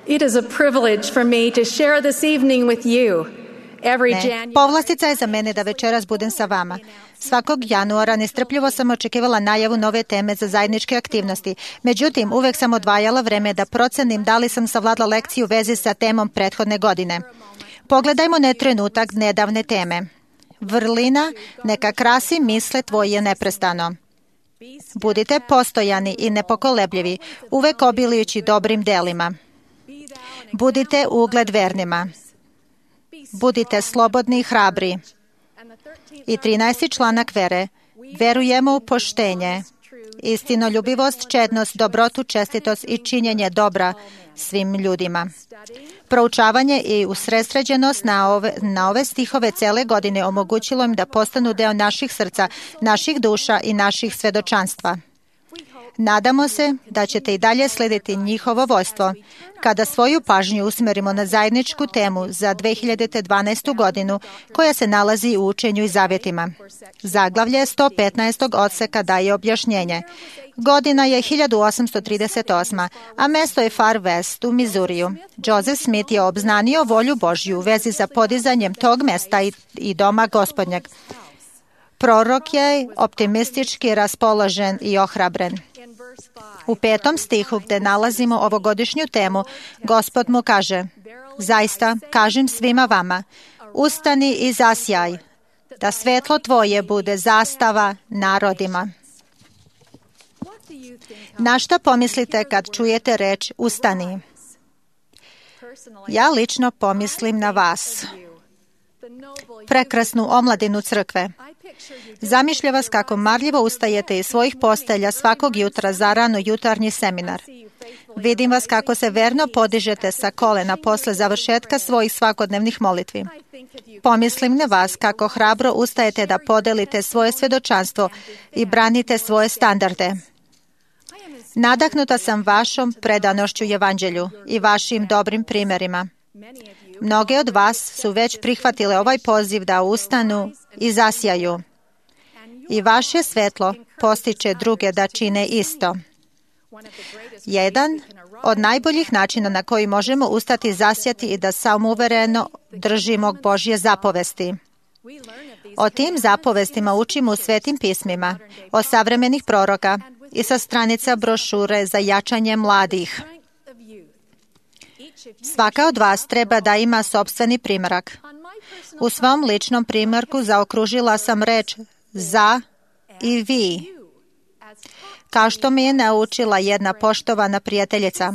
It is a privilege for me to share this evening with you. Povlastica je za mene da večeras budem sa vama. Svakog januara nestrpljivo sam očekivala najavu nove teme za zajedničke aktivnosti. Međutim, uvek sam odvajala vreme da procenim da li sam savladala lekciju u vezi sa temom prethodne godine. Pogledajmo na trenutak nedavne teme. Vrlina neka krasi misle tvoje neprestano. Budite postojani i nepokolebljivi, uvek obilijući dobrim delima. Budite ugled vernima. Budite slobodni i hrabri. I 13. članak vere. Verujemo u poštenje, istinoljubivost, čednost, dobrotu, čestitost i činjenje dobra svim ljudima. Proučavanje i usredsređenost na ove stihove cele godine omogućilo im da postanu deo naših srca, naših duša i naših svedočanstva. Nadamo se da ćete i dalje slediti njihovo vojstvo kada svoju pažnju usmerimo na zajedničku temu za 2012. godinu koja se nalazi u učenju i zavjetima. Zaglavlje 115. odseka daje objašnjenje. Godina je 1838. a mesto je Far West u Mizuriju. Joseph Smith je obznanio volju Božju u vezi za podizanjem tog mesta i doma Gospodnjeg. Prorok je optimistički raspoložen i ohrabren. U 5. stihu gde nalazimo ovogodišnju temu, Gospod mu kaže: zaista, kažem svima vama, ustani i zasjaj, da svetlo tvoje bude zastava narodima. Na šta pomislite kad čujete reč ustani? Ja lično pomislim na vas, prekrasnu omladinu crkve. Zamišlja vas kako marljivo ustajete iz svojih postelja svakog jutra za rano jutarnji seminar. Vidim vas kako se verno podižete sa kolena posle završetka svojih svakodnevnih molitvi. Pomislim na vas kako hrabro ustajete da podelite svoje svedočanstvo i branite svoje standarde. Nadahnuta sam vašom predanošću evanđelju i vašim dobrim primjerima. Mnoge od vas su već prihvatile ovaj poziv da ustanu i zasjaju. I vaše svetlo postiče druge da čine isto. Jedan od najboljih načina na koji možemo ustati, zasjati i da samouvereno držimo Božje zapovesti. O tim zapovestima učimo u Svetim pismima, od savremenih proroka i sa stranica brošure za jačanje mladih. Svaka od vas treba da ima sopstveni primjerak. U svom ličnom primjerku zaokružila sam reč za i vi, kao što mi je naučila jedna poštovana prijateljica.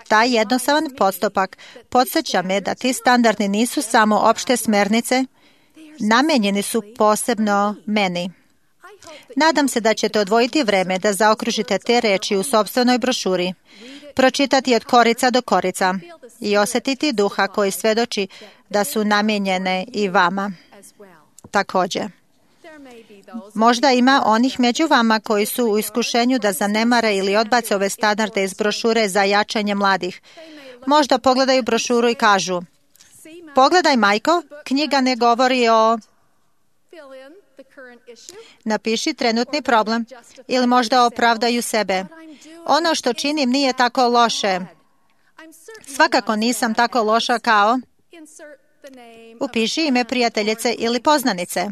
Taj jednostavan postupak podsjeća me da ti standardi nisu samo opšte smernice, namenjeni su posebno meni. Nadam se da ćete odvojiti vreme da zaokružite te reči u sopstvenoj brošuri, pročitati od korica do korica i osjetiti duha koji svedoči da su namijenjene i vama. Također, možda ima onih među vama koji su u iskušenju da zanemare ili odbace ove standarde iz brošure za jačanje mladih. Možda pogledaju brošuru i kažu: pogledaj, majko, knjiga ne govori o... Napiši trenutni problem ili možda opravdaju sebe. Ono što činim nije tako loše. Svakako nisam tako loša kao... Upiši ime prijateljice ili poznanice.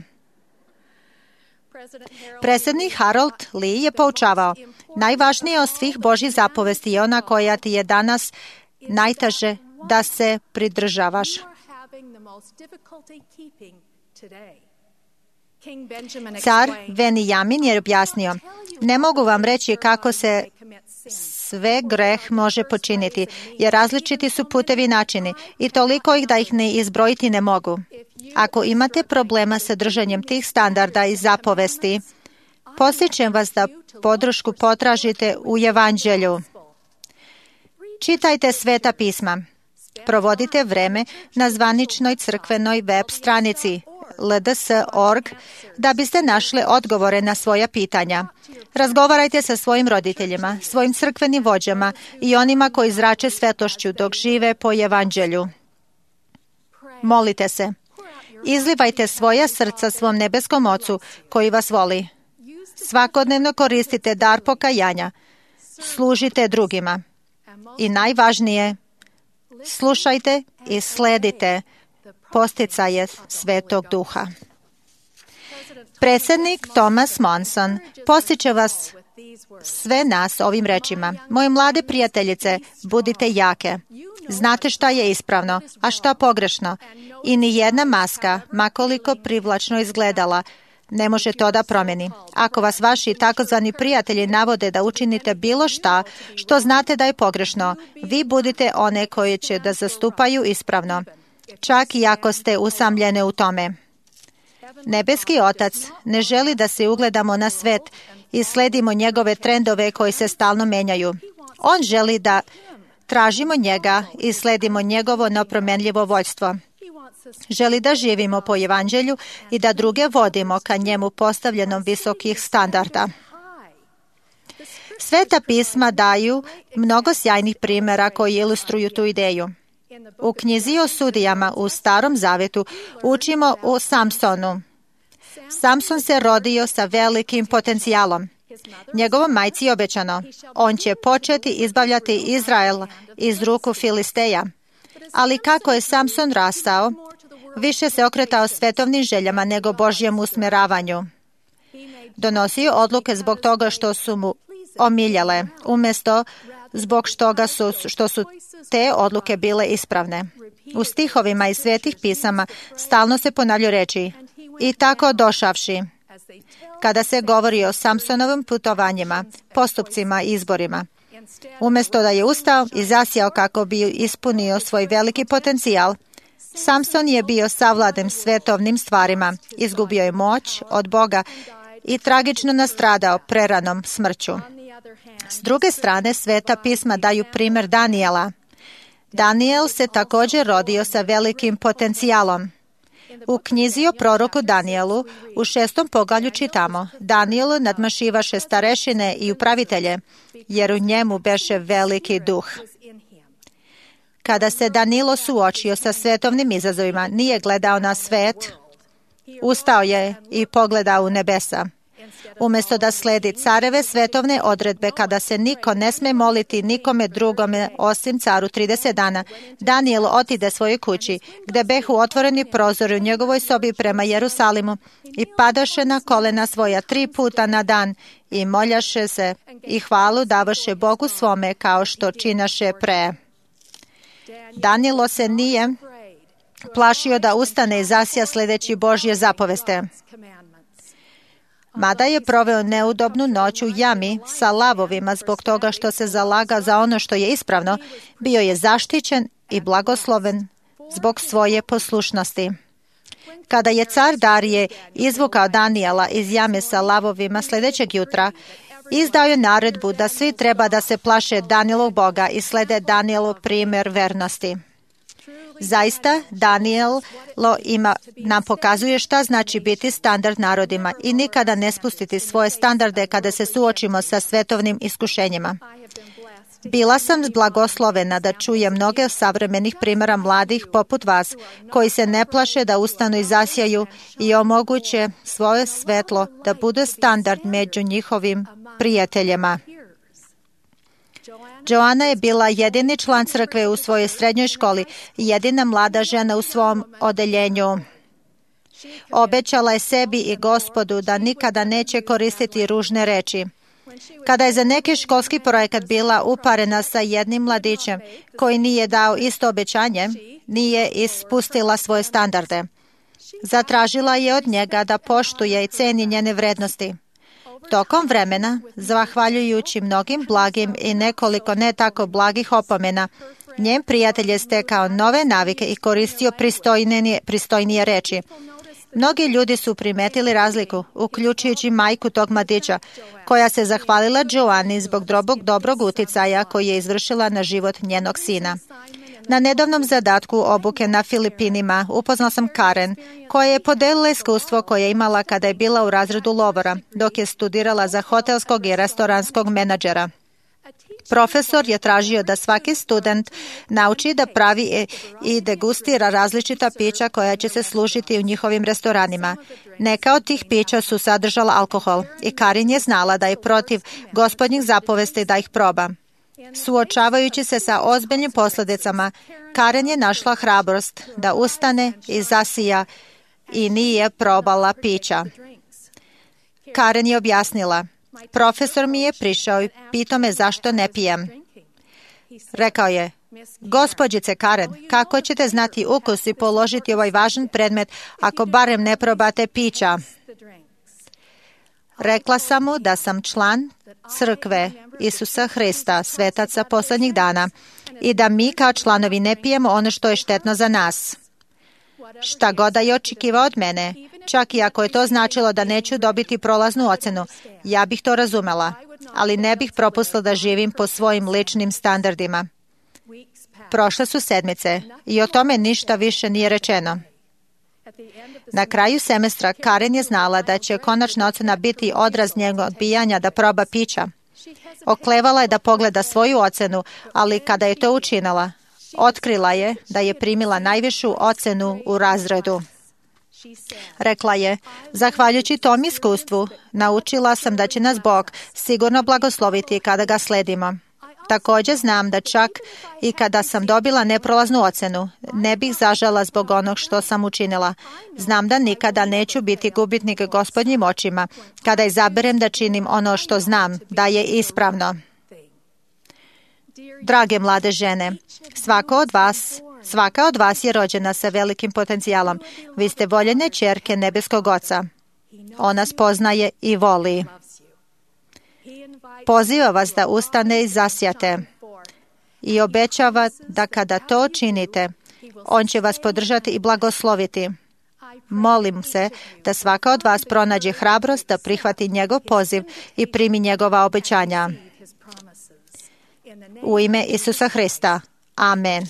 Predsjednik Harold Lee je poučavao: najvažnije od svih Božjih zapovesti je ona koja ti je danas najteže da se pridržavaš. Car Venijamin je objasnio: ne mogu vam reći kako se sve greh može počiniti, jer različiti su putevi i načini i toliko ih da ih ne izbrojiti ne mogu. Ako imate problema sa držanjem tih standarda i zapovesti, podsjećam vas da podršku potražite u evanđelju. Čitajte Sveta pisma. Provodite vreme na zvaničnoj crkvenoj web stranici lds.org da biste našli odgovore na svoja pitanja. Razgovarajte sa svojim roditeljima, svojim crkvenim vođama i onima koji zrače svetlošću dok žive po evanđelju. Molite se. Izlivajte svoja srca svom nebeskom Ocu koji vas voli. Svakodnevno koristite dar pokajanja. Služite drugima. I najvažnije, Slušajte i sledite posticaje Svetog Duha. Predsjednik Thomas Monson postiče vas sve nas ovim rečima. Moje mlade prijateljice, budite jake. Znate šta je ispravno, a šta pogrešno. I ni jedna maska, makoliko privlačno izgledala, ne može to da promjeni. Ako vas vaši takozvani prijatelji navode da učinite bilo šta što znate da je pogrešno, vi budite one koje će da zastupaju ispravno, čak i ako ste usamljene u tome. Nebeski Otac ne želi da se ugledamo na svet i sledimo njegove trendove koji se stalno menjaju. On želi da tražimo njega i sledimo njegovo nepromenljivo vođstvo. Želi da živimo po evanđelju i da druge vodimo ka njemu postavljenom visokih standarda. Sveta pisma daju mnogo sjajnih primjera koji ilustruju tu ideju. U knjizi o sudijama u Starom Zavetu učimo o Samsonu. Samson se rodio sa velikim potencijalom. Njegovom majci je obećano, on će početi izbavljati Izrael iz ruku Filisteja. Ali kako je Samson rastao, više se okretao svetovnim željama nego Božjem usmjeravanju. Donosio odluke zbog toga što su mu omiljale, umjesto zbog što su te odluke bile ispravne. U stihovima iz svetih pisama stalno se ponavljaju reči i tako došavši. Kada se govori o Samsonovim putovanjima, postupcima i izborima, umjesto da je ustao i zasjao kako bi ispunio svoj veliki potencijal, Samson je bio savladan svetovnim stvarima, izgubio je moć od Boga i tragično nastradao preranom smrću. S druge strane, sveta pisma daju primjer Danijela. Daniel se također rodio sa velikim potencijalom. U knjizi o proroku Danijelu u 6. poglavlju čitamo: Danijelu nadmašivaše starešine i upravitelje, jer u njemu beše veliki duh. Kada se Danilo suočio sa svetovnim izazovima, nije gledao na svet, ustao je i pogledao u nebesa. Umjesto da sledi careve svetovne odredbe kada se niko ne sme moliti nikome drugome osim caru 30 dana, Danijel otide svojoj kući, gde behu otvoreni prozori u njegovoj sobi prema Jerusalimu i padaše na kolena svoja 3 puta na dan i moljaše se i hvalu davaše Bogu svome kao što činaše pre. Danilo se nije plašio da ustane i zasja sledeći Božje zapoveste. Mada je proveo neudobnu noć u jami sa lavovima zbog toga što se zalaga za ono što je ispravno, bio je zaštićen i blagosloven zbog svoje poslušnosti. Kada je car Darije izvukao Danijela iz jame sa lavovima sljedećeg jutra, izdao je naredbu da svi treba da se plaše Danijelog Boga i slede Danijelov primjer vernosti. Zaista, Danijelo nam pokazuje šta znači biti standard narodima i nikada ne spustiti svoje standarde kada se suočimo sa svetovnim iskušenjima. Bila sam blagoslovena da čujem mnoge savremenih primjera mladih poput vas, koji se ne plaše da ustanu i zasjaju i omoguće svoje svetlo da bude standard među njihovim prijateljima. Joana je bila jedini član crkve u svojoj srednjoj školi i jedina mlada žena u svom odeljenju. Obećala je sebi i Gospodu da nikada neće koristiti ružne reči. Kada je za neki školski projekat bila uparena sa jednim mladićem koji nije dao isto obećanje, nije ispustila svoje standarde. Zatražila je od njega da poštuje i ceni njene vrednosti. Tokom vremena, zahvaljujući mnogim blagim i nekoliko ne tako blagih opomena, njen prijatelj je stekao nove navike i koristio pristojnije reči. Mnogi ljudi su primetili razliku, uključujući majku tog mladića, koja se zahvalila Joani zbog dobrog uticaja koji je izvršila na život njenog sina. Na nedavnom zadatku obuke na Filipinima upoznala sam Karen, koja je podelila iskustvo koje je imala kada je bila u razredu lovora, dok je studirala za hotelskog i restoranskog menadžera. Profesor je tražio da svaki student nauči da pravi i degustira različita pića koja će se služiti u njihovim restoranima. Neka od tih pića su sadržala alkohol i Karin je znala da je protiv Gospodnjih zapovesti da ih proba. Suočavajući se sa ozbiljnim posljedicama, Karen je našla hrabrost da ustane i zasija i nije probala pića. Karen je objasnila, profesor mi je prišao i pitao me zašto ne pijem. Rekao je, gospođice Karen, kako ćete znati ukus i položiti ovaj važan predmet ako barem ne probate pića? Rekla sam mu da sam član crkve Isusa Hrista, svetaca posljednjih dana, i da mi kao članovi ne pijemo ono što je štetno za nas. Šta god da je očekivao od mene, čak i ako je to značilo da neću dobiti prolaznu ocenu, ja bih to razumela, ali ne bih propustila da živim po svojim ličnim standardima. Prošle su sedmice i o tome ništa više nije rečeno. Na kraju semestra Karen je znala da će konačna ocena biti odraz njegovog odbijanja da proba pića. Oklevala je da pogleda svoju ocenu, ali kada je to učinila, otkrila je da je primila najvišu ocenu u razredu. Rekla je, zahvaljujući tom iskustvu, naučila sam da će nas Bog sigurno blagosloviti kada ga sledimo. Također znam da čak i kada sam dobila neprolaznu ocenu, ne bih zažala zbog onog što sam učinila. Znam da nikada neću biti gubitnik Gospodnjim očima kada izaberem da činim ono što znam da je ispravno. Drage mlade žene, svaka od vas je rođena sa velikim potencijalom. Vi ste voljene ćerke nebeskog Oca. On nas poznaje i voli. Poziva vas da ustane i zasijate i obećava da kada to činite, on će vas podržati i blagosloviti. Molim se da svaka od vas pronađe hrabrost da prihvati njegov poziv i primi njegova obećanja. U ime Isusa Hrista. Amen.